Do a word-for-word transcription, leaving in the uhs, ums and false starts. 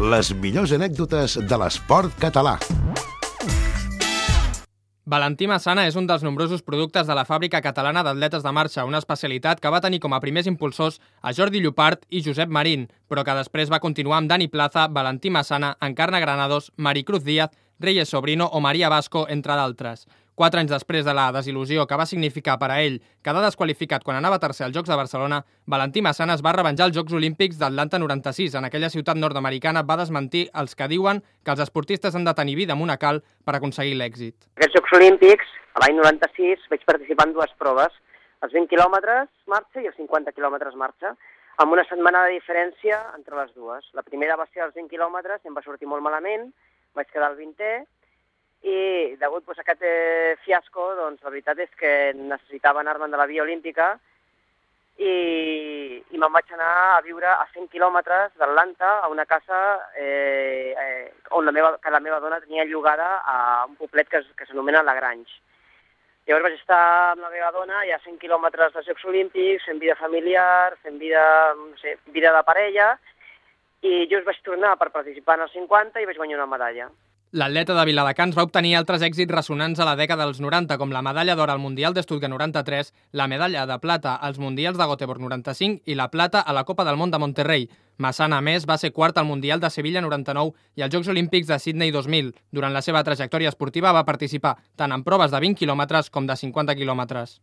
Les millors anècdotes de l'esport català. Valentí Massana és un dels nombrosos productes de la Fàbrica Catalana d'Atletes de Marxa, una especialitat que va tenir com a primers impulsors a Jordi Llopart i Josep Marín, però que després va continuar amb Dani Plaza, Valentí Massana, Encarna Granados, Maricruz Díaz, Reyes Sobrino o Maria Vasco, entre d'altres. Quatre anys després de la desil·lusió que va significar per a ell quedar desqualificat quan anava tercer als Jocs de Barcelona, Valentí Massana es va revenjar als Jocs Olímpics d'Atlanta noranta-sis. En aquella ciutat nord-americana va desmentir els que diuen que els esportistes han de tenir vida monacal per aconseguir l'èxit. Aquests Jocs Olímpics, l'any noranta-sis, vaig participar en dues proves, els vint quilòmetres marxa i els cinquanta quilòmetres marxa, amb una setmana de diferència entre les dues. La primera va ser els vint quilòmetres, em va sortir molt malament, vaig quedar al vintè, i degut pues, a aquest eh, fiasco, doncs la veritat és que necessitava anar-me'n de la via olímpica i, i me'n vaig anar a viure a cent quilòmetres d'Atlanta a una casa eh, eh, on la meva, que la meva dona tenia llogada a un poblet que, que s'anomena La Grange. Llavors vaig estar amb la meva dona ja a cent quilòmetres dels Jocs Olímpics, fent vida familiar, fent vida, no sé, vida de parella, i jo us vaig tornar per participar en els cinquanta i vaig guanyar una medalla. L'atleta de Viladecans va obtenir altres èxits ressonants a la dècada dels noranta, com la medalla d'or al Mundial de Stuttgart noranta-tres, la medalla de plata als Mundials de Göteborg noranta-cinc i la plata a la Copa del Món de Monterrey. Massana, a més, va ser quart al Mundial de Sevilla noranta-nou i als Jocs Olímpics de Sydney dos mil. Durant la seva trajectòria esportiva va participar tant en proves de vint quilòmetres com de cinquanta quilòmetres.